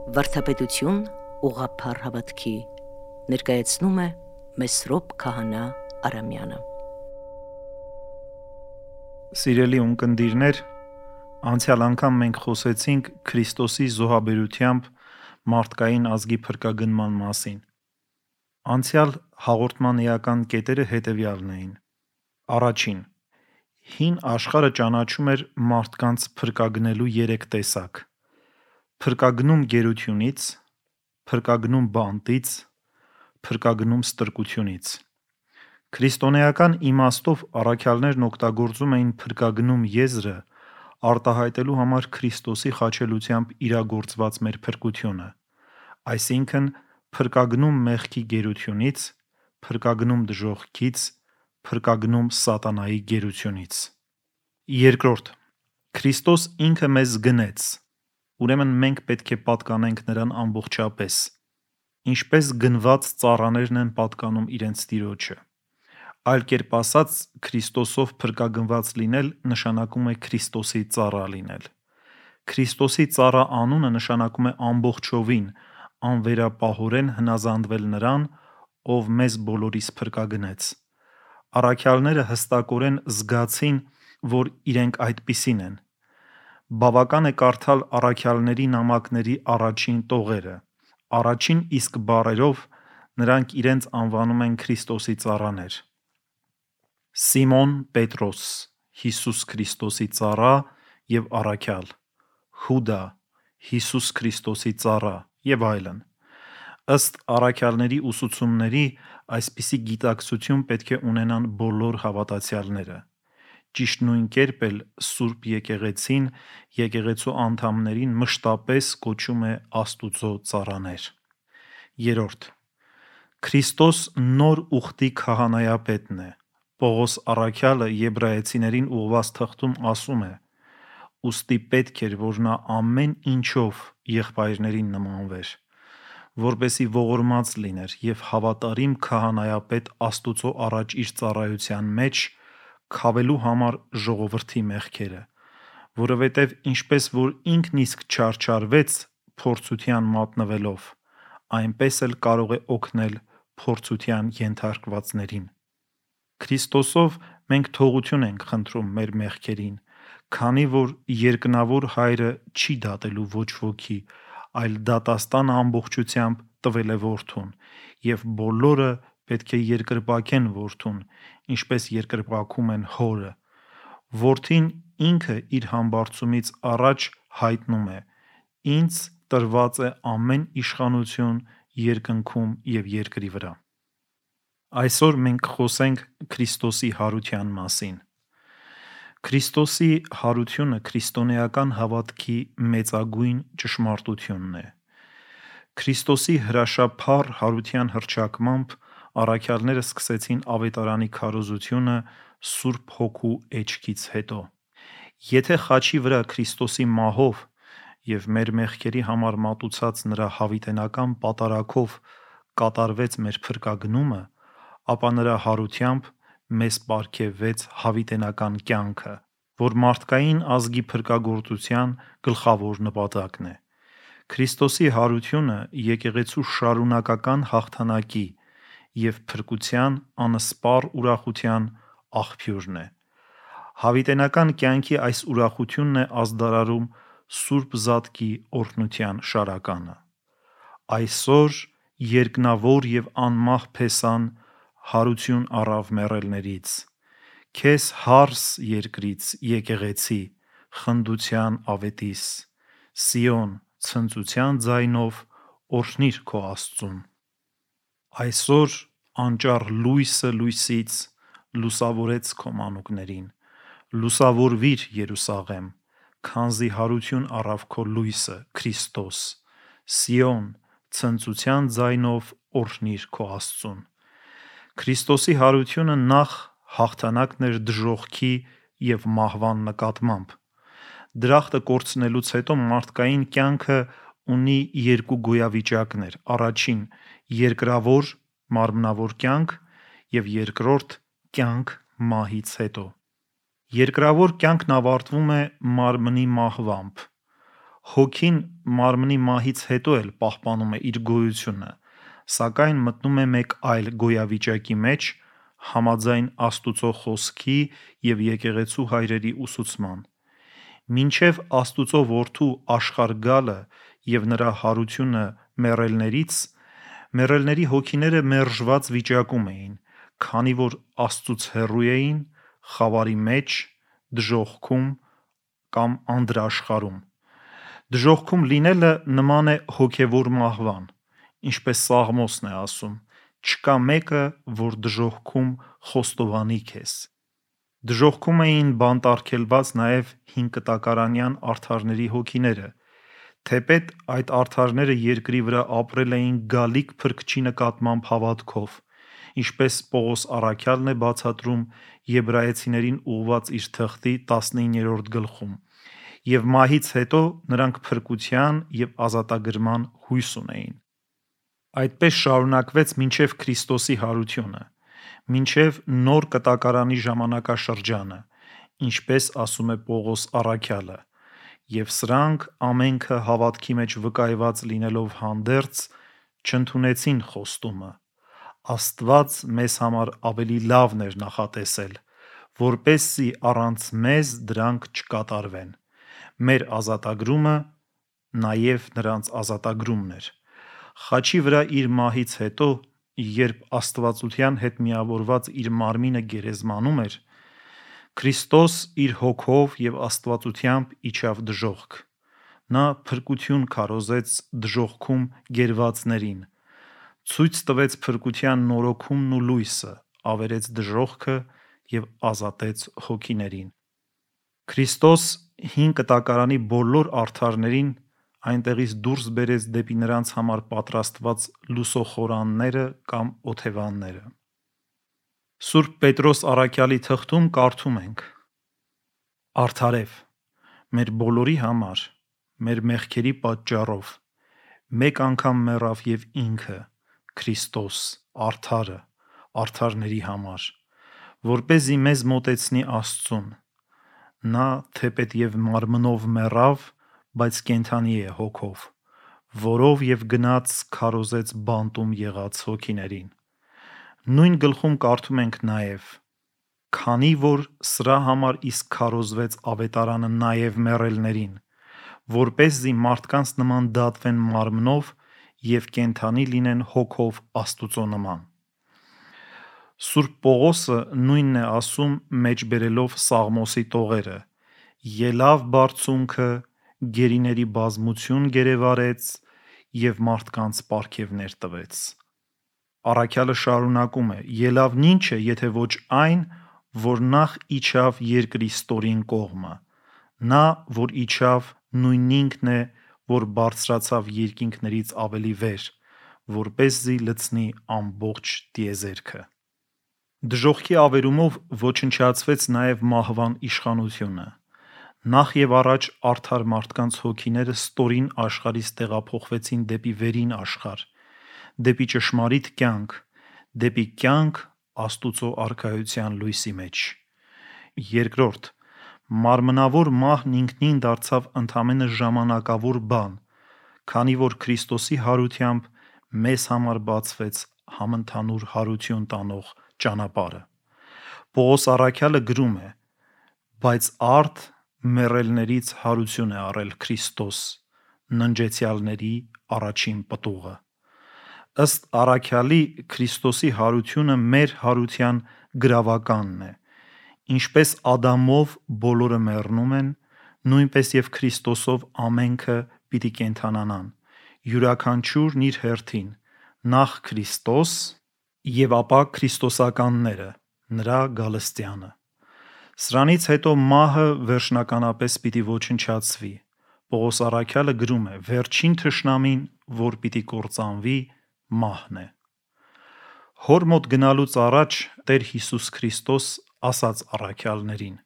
Վարդապետություն ուղղափառ հավատքի ներկայացնում է Մեսրոպ Քահանա Արամյանը։ Սիրելի ունկնդիրներ, անցյալ անգամ մենք խոսեցինք Քրիստոսի զոհաբերությամբ մարդկային ազգի փրկագնման մասին։ Անցյալ հաղորդման էական կետերը հետևյալն էին. Առաջին, հին աշխարհը ճանաչում էր մարդկանց փրկագնելու 3 տեսակ. փրկագնում գերությունից, փրկագնում բանտից, փրկագնում ստրկությունից։ Քրիստոնեական իմաստով առաքյալներն օգտագործում էին փրկագնում եզրը արտահայտելու համար Քրիստոսի խաչելությամբ իրագործված մեր փրկությունը, այսինքն փրկագնում մեղքի գերությունից, փրկագնում դժոխքից, փրկագնում սատանայի գերությունից։ Երկրորդ, Քրիստոս ինքը մեզ գնեց, ուրեմն մենք պետք է պատկանենք նրան ամբողջապես, ինչպես գնված ծառաներն են պատկանում իրենց տիրոջը։ Այլ կերպ ասած, Քրիստոսով փրկագնված լինել նշանակում է Քրիստոսի ծառա լինել։ Քրիստոսի ծառա անունը նշանակում է ամբողջովին, անվերապահորեն հնազանդվել նրան, ով մեզ բոլորիս փրկագնեց։ Առաքյալները հստակորեն զգացին, որ իրենք այդպիսին են։ Բավական է կարդալ առաքյալների նամակների առաջին տողերը։ Առաջին իսկ բառերով նրանք իրենց անվանում են Քրիստոսի ծառաներ։ Սիմոն Պետրոս, Հիսուս Քրիստոսի ծառա և առաքյալ, Հուդա, Հիսուս Քրիստոսի ծառա և այլն։ Ըստ առաքյալների ուսուցումների, այսպիսի գիտակցություն պետք է ունենան բոլոր հավատացյալները։ Ճիշտ նույն կերպ էլ Սուրբ Եկեղեցին եկեղեցու անդամներին մշտապես կոչում է Աստուծո ծառաներ։ Երրորդ, Քրիստոս նոր ուխտի քահանայապետն է։ Պողոս առաքյալը Եբրայեցիներին ուղղված թղթում ասում է. «Ուստի պետք էր, որ նա ամեն ինչով եղբայրներին նմանվեր, որպեսզի ողորմած լիներ և հավատարիմ քահանայապետ Աստուծո առաջ իր ծառայության մեջ, քավելու համար ժողովրդի մեղքերը, որովհետև ինչպես որ ինքն իսկ չարչարվեց փորձության մատնվելով, այնպես էլ կարող է օգնել փորձության ենթարկվածներին»։ Քրիստոսով մենք թողություն ենք խնդրում մեր մեղքերին, քանի որ երկնավոր Հայրը չի դատելու ոչ ոքի, այլ դատաստանը ամբողջությամբ տվել է Որդուն, և բոլորը պետք է երկրպագեն Որդուն, ինչպես երկրպագում են Հորը։ Որդին ինքը իր համբարձումից առաջ հայտնում է. «Ինձ տրված է ամեն իշխանություն երկնքում և երկրի վրա»։ Այսօր մենք կխոսենք Քրիստոսի հարության մասին։ Քրիստոսի հարությունը քրիստոնեական հավատքի մեծագույն ճշմարտությունն է։ Քրիստոսի հրաշափառ հարության հռչակմամբ առաքյալները սկսեցին ավետարանի քարոզությունը Սուրբ Հոգու էջքից հետո։ Եթե խաչի վրա Քրիստոսի մահով և մեր մեղքերի համար մատուցած նրա հավիտենական պատարագով կատարվեց մեր փրկագնումը, ապա նրա հարությամբ մեզ պարգևվեց հավիտենական կյանքը, որ մարդկային ազգի փրկagorցության գլխավոր նպատակն է։ Քրիստոսի հարությունը եկեղեցու շարունակական հաղթանակի և փրկության անսպառ ուրախության աղբյուրն է։ Հավիտենական կյանքի այս ուրախությունն է ազդարարում Սուրբ Զատկի օրհնության շարականը։ Այսօր երկնավոր և անմահ Փեսան հարություն առավ մեռելներից։ Քեզ հարս երկրից, եկեղեցի, խնդության ավետիս, Սիոն, ցնծության ձայնով օրհնիր քո Աստծուն։ Այսօր անճառ լույսը լույսից լուսավորեց քո մանուկներին։ Լուսավորվիր, Երուսաղեմ, քանզի հարություն առավ քո լույսը՝ Քրիստոս։ Սիոն, ցնծության ձայնով օրհնիր քո Աստծուն։ Քրիստոսի հարությունը նախ հաղթանակն էր դժոխքի և մահվան նկատմամբ։ Դրախտը կորցնելուց հետո մարդկային կյանքը ունի երկու գոյավիճակներ. առաջին՝ երկրավոր մարմնավոր կյանք և երկրորդ՝ կյանք մահից հետո։ Երկրավոր կյանքն ավարտվում է մարմնի մահվամբ։ Հոգին մարմնի մահից հետո էլ պահպանում է իր գոյությունը, սակայն մտնում է մեկ այլ գոյավիճակի մեջ, համաձայն Աստուծո խոսքի և եկեղեցու հայրերի ուսուցման։ Մինչև Աստուծո որդու աշխարհ գալը և նրա հարությունը մեռելների հոգիները մերժված վիճակում էին, քանի որ Աստծուց հեռու էին, խավարի մեջ, դժոխքում կամ անդրաշխարհում։ Դժոխքում լինելը նման է հոգևոր մահվան, ինչպես Սաղմոսն է ասում. «Չկա մեկը, որ դժոխքում խոստովանի քեզ»։ Դժոխքում էին բանտարկելված նաև հինկտակարանյան արդարների հոգիները, թեպետ այդ արդարները երկրի վրա ապրել էին գալիք Փրկչի նկատմամբ հավատքով, ինչպես Պողոս առաքյալն է բացատրում Եբրայեցիներին ուղղված իր թղթի 19-րդ գլխում, և մահից հետո նրանք փրկության և ազատագրման հույս ունեին։ Այդպես շարունակվեց մինչև Քրիստոսի հարությունը, մինչև նոր կտակարանի ժամանակաշրջանը, ինչպես ասում է Պողոս առաքյալը, և սրանք ամենքը հավատքի մեջ վկայված լինելով հանդերձ, չընդունեցին խոստումը։ Աստված մեզ համար ավելի լավն էր նախատեսել, որպեսզի առանց մեզ դրանք չկատարվեն։ Մեր ազատագրումը նաև նրանց ազատագրումն էր։ Խաչի վրա իր մահից հետո, երբ աստվածության հետ միավորված իր մարմինը գերեզմանում էր, Քրիստոս իր հոգով և աստվածությամբ իջավ դժոխք։ Նա փրկություն քարոզեց դժոխքում գերվածներին, ցույց տվեց փրկության նորոգումն ու լույսը, ավերեց դժոխքը և ազատեց հոգիներին։ Քրիստոս հին կտակարանի բոլոր արդարներին այնտեղից դուրս բերեց դեպի նրանց համար պատրաստված լուսոխորանները կամ օթևանները։ Սուրբ Պետրոս առաքյալի թղթում կարդում ենք. «Արդարև, մեր բոլորի համար, մեր մեղքերի պատճառով, մեկ անգամ մեռավ և Ինքը, Քրիստոս, արդարը, արդարների համար, որպեսզի մեզ մոտեցնի Աստծուն։ Նա թեպետ և մարմնով մեռավ, բայց կենդանի է հոգով, որով և գնաց քարոզեց բանտում եղած հոգիներին»։ Նույն գլխում կարդում ենք նաև. «Քանի որ սրա համար իսկ քարոզվեց ավետարանը նաև մեռելներին, որպեսզի մարդկանց նման դատվեն մարմնով և կենդանի լինեն հոգով Աստուծո նման»։ Սուրբ Պողոսը նույնն է ասում մեջբերելով Սաղմոսի տողերը. «Ելավ բարձունքը, գերիների բազմություն գերեվարեց և մարդկանց պարգևներ տվեց»։ Առաքյալը շարունակում է. «Ելավն ի՞նչ է, եթե ոչ այն, որ նախ իջավ երկրի ստորին կողմը։ Նա, որ իջավ, նույն Ինքն է, որ բարձրացավ երկինքներից ավելի վեր, որպեսզի լցնի ամբողջ տիեզերքը»։ Դժոխքի ավերումով ոչնչացվեց նաև մահվան իշխանությունը։ Նախ և առաջ արդար մարդկանց հոգիները ստորին աշխարհից տեղափոխվեցին դեպի վերին աշխարհ, դեպի ճշմարիտ կյանք, դեպի կյանք Աստուծո Արքայության լույսի մեջ։ Երկրորդ, մարմնավոր մահն ինքնին դարձավ ընդամենը ժամանակավոր բան, քանի որ Քրիստոսի հարությամբ մեզ համար բացվեց համընդհանուր հարություն տանող ճանապարհը։ Պողոս առաքյալը գրում է. «Բայց արդ մեռելներից հարություն է առել Քրիստոս, ննջեցյալների առաջին պտուղը»։ Ըստ առաքյալի, Քրիստոսի հարությունը մեր հարության գրավականն է։ Ինչպես Ադամով բոլորը մեռնում են, նույնպես և Քրիստոսով ամենքը պիտի կենդանանան, յուրաքանչյուրն իր հերթին, նախ Քրիստոս և ապա քրիստոսականները, նրա գալստյանը։ Սրանից հետո մահը վերջնականապես պիտի ոչնչացվի։ Պողոս առաքյալը գրում է. «Վերջին թշնամին, որ պիտի կործանվի, մահն է»։ Հոր մոտ գնալուց առաջ Տեր Հիսուս Քրիստոս ասաց առաքյալներին.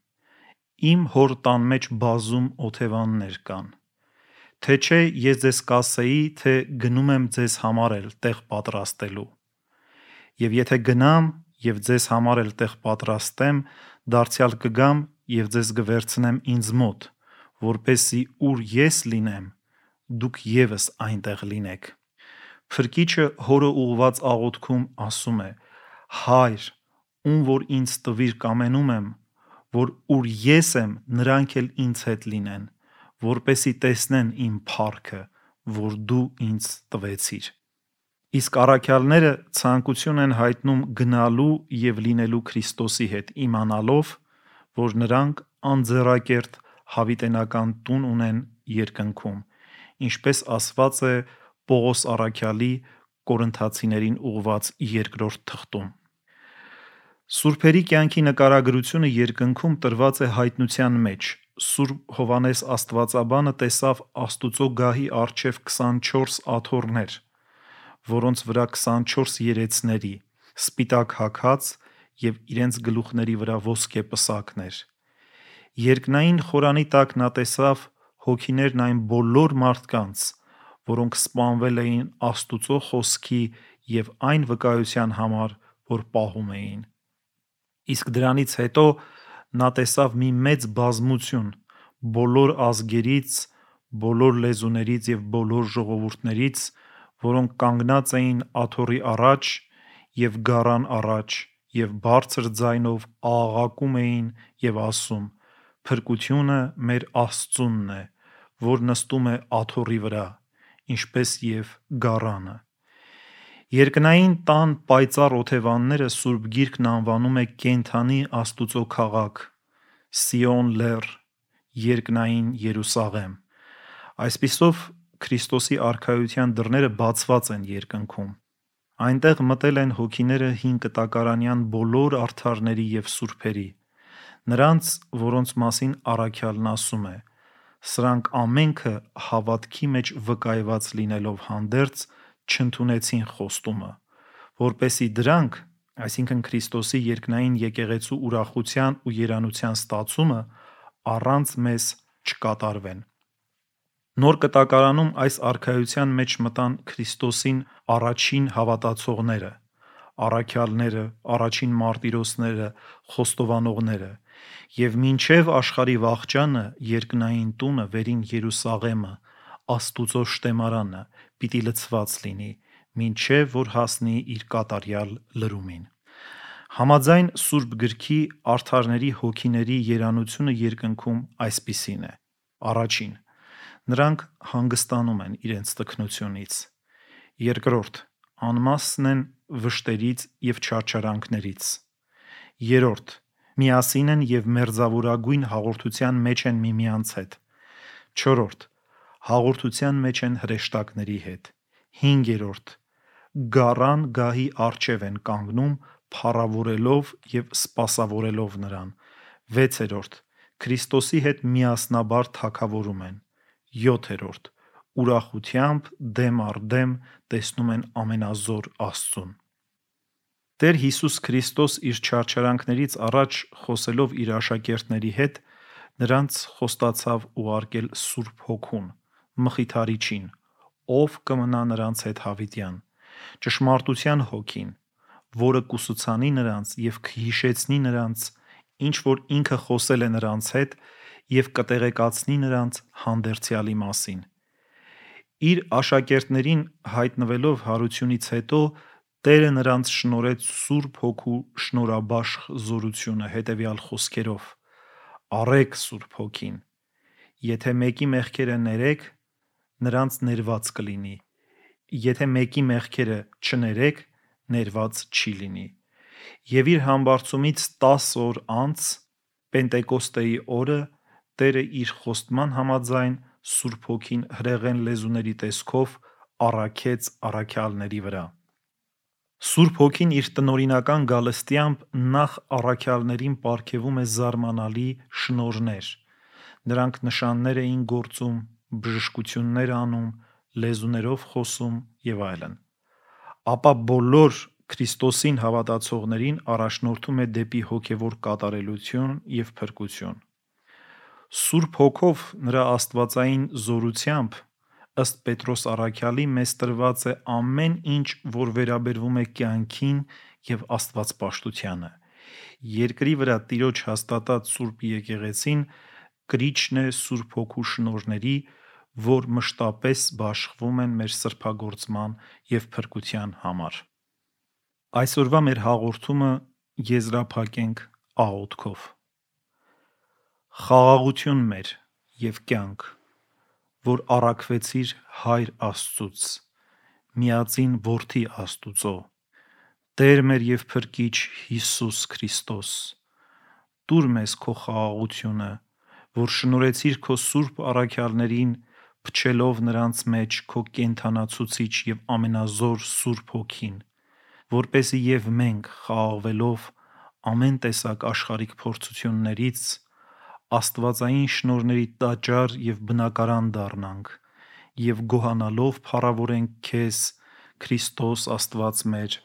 «Իմ Հոր տան մեջ բազում օթևաններ կան։ Թե չէ ես ձեզ կասեի, թե գնում եմ ձեզ համար էլ տեղ պատրաստելու։ Եվ եթե գնամ և ձեզ համար էլ տեղ պատրաստեմ, դարձյալ կգամ և ձեզ կվերցնեմ ինձ մոտ, որպեսզի ուր ես լինեմ, դուք ևս այնտեղ լինեք։ Փրկիչը հորը ուղված աղոթքում ասում է. Հայր, ում որ ինձ տվիր կամենում եմ, որ ուր ես եմ, նրանք էլ ինձ հետ լինեն, որպեսզի տեսնեն իմ փառքը, որ դու ինձ տվեցիր։ Իսկ առաքյալները ցանկություն են հայտնում գնալու և լինելու Քրիստոսի հետ, իմանալով, որ նրանք անձեռակերտ հավիտենական տուն ունեն երկնքում, ինչպես ասված է Պողոս առաքյալի Կորինթացիներին ուղղված 2-րդ թղթում։ Սուրբերի կյանքի նկարագրությունը երկնքում տրված է հայտնության մեջ։ Սուրբ Հովհաննես Աստվածաբանը տեսավ Աստուծո գահի առջև 24 աթոռներ, որոնց վրա 24 երեցների, սպիտակ հագած և իրենց գլուխների վրա ոսկե պսակներ։ Երկնային խորանի տակ նա տեսավ հոգիներն այն բոլոր մարդկանց, որոնք սպանվել էին Աստուծո խոսքի և այն վկայության համար, որ պահում էին։ Իսկ դրանից հետո նա տեսավ մի մեծ բազմություն բոլոր ազգերից, բոլոր լեզուներից և բոլոր ժողովուրդներից, որոնք կանգնած էին աթոռի առաջ և գառան առաջ և բարձր ձայնով աղաղակում էին և ասում. «Փրկությունը մեր Աստծունն է, որ նստում է աթոռի վրա, ինչպես և գառանը»։ Երկնային տան պայծառ օթևանները Սուրբ Գիրքն անվանում է կենդանի Աստուծո քաղաք, Սիոն Լեռ, երկնային Երուսաղեմ։ Այսպիսով Քրիստոսի արքայության դռները բացված են երկնքում։ Այնտեղ մտել են հոգիները հին կտակարանյան բոլոր արդարների և սուրբերի, նրանց, որոնց մասին առաքյալն ասում է. «Սրանք ամենքը հավատքի մեջ վկայված լինելով հանդերձ չընդունեցին խոստումը, որպեսզի դրանք, այսինքն Քրիստոսի երկնային եկեղեցու ուրախության ու երանության ստացումը, առանց մեզ չկատարվեն»։ Նոր կտակարանում այս արքայության մեջ մտան Քրիստոսին առաջին հավատացողները, առաքյալները, առաջին մարտիրոսները, խոստովանողները, և մինչև աշխարհի վախճանը երկնային տունը, վերին Երուսաղեմը, Աստուծո շտեմարանը պիտի լցված լինի, մինչև որ հասնի իր կատարյալ լրումին։ Համաձայն Սուրբ Գրքի արդարների հոգիների երանությունը երկնքում այսպիսին է. Առաջին՝ նրանք հանգստանում են իրենց տքնությունից։ Երկրորդ՝ անմասն են վշտերից և չարչարանքներից։ Երրորդ՝ միասին են և մերձավորագույն հաղորդության մեջ են միմյանց հետ։ Չորրորդ՝ հաղորդության մեջ են հրեշտակների հետ։ Հինգերորդ՝ գառան գահի առջև են կանգնում փառավորելով և սպասավորելով նրան։ Վեցերորդ՝ Քրիստոսի հետ միասնաբար թագավորում են։ Յոթերորդ՝ ուրախությամբ դեմ առ դեմ տեսնում են ամենազոր Աստծուն։ Տեր Հիսուս Քրիստոս իր չարչարանքներից առաջ խոսելով իր աշակերտների հետ, նրանց խոստացավ ուղարկել Սուրբ Հոգուն, Մխիթարիչին, ով կմնա նրանց հետ հավիտյան, ճշմարտության Հոգին, որը կուսուցանի նրանց և կհիշեցնի նրանց, ինչ որ ինքը խոսել է նրանց հետ և կտեղեկացնի նրանց հանդերձյալի մասին։ Իր աշակերտներին հայտնվելով հարությունից հետո Տերը նրանց շնորհեց Սուրբ Հոգու շնորհաբաշխ զորությունը հետևյալ խոսքերով. «Առեք Սուրբ Հոգին. եթե մեկի մեղքերը ներեք, նրանց ներված կլինի, եթե մեկի մեղքերը չներեք, ներված չի լինի»։ Եվ իր համբարձումից 10 օր անց, Պենտեկոստեի օրը, Տերը իր խոստման համաձայն Սուրբ Հոգին հրեղեն լեզուների տեսքով առաքեց առաքյալների վրա։ Սուրբ Հոգին իր տնօրինական գալստյամբ նախ առաքյալներին պարգևում է զարմանալի շնորհներ։ Նրանք նշաններ էին գործում, բժշկություններ անում, լեզուներով խոսում և այլն։ Ապա բոլոր Քրիստոսին հավատացողներին առաջնորդում է դեպի հոգևոր կատարելություն և փրկություն։ Սուրբ Հոգով նրա աստվածային զորությամբ, ըստ Պետրոս առաքյալի, մեզ տրված է ամեն ինչ, որ վերաբերվում է կյանքին և աստվածպաշտությանը։ Երկրի վրա Տիրոջ հաստատած Սուրբ Եկեղեցին կրիչն է Սուրբ Հոգու շնորհների, որ մշտապես բաշխվում են մեր սրբագործման և փրկության համար։ Այսօրվա մեր հաղորդումը եզրափակենք աղոթքով։ Խաղաղություն մեր և կյանք, որ առաքվեցիր Հայր Աստծուց, միածին Որդի Աստուծո, Տեր մեր և Փրկիչ Հիսուս Քրիստոս, տուր մեզ քո խաղաղությունը, որ շնորհեցիր քո սուրբ առաքյալներին, փչելով նրանց մեջ քո կենդանացուցիչ և ամենազոր Սուրբ Հոգին, որպեսզի և մենք խաղաղվելով ամեն տեսակ աշխարհիկ փորձություններից աստվածային շնորհների տաճար և բնակարան դառնանք և գոհանալով փառավորենք քեզ, Քրիստոս Աստված մեր,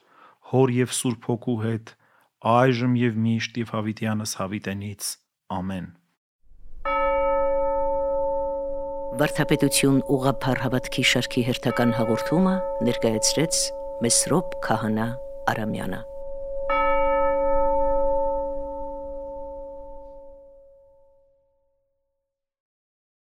Հոր և Սուրբ Հոգու հետ, այժմ և միշտ և հավիտյանս հավիտենից։ Ամեն։ Վարդապետություն ուղղափառ հավատքի շարքի հերթական հաղորդումը ներկայացրեց Մեսրոպ Քահանա Արամյանը։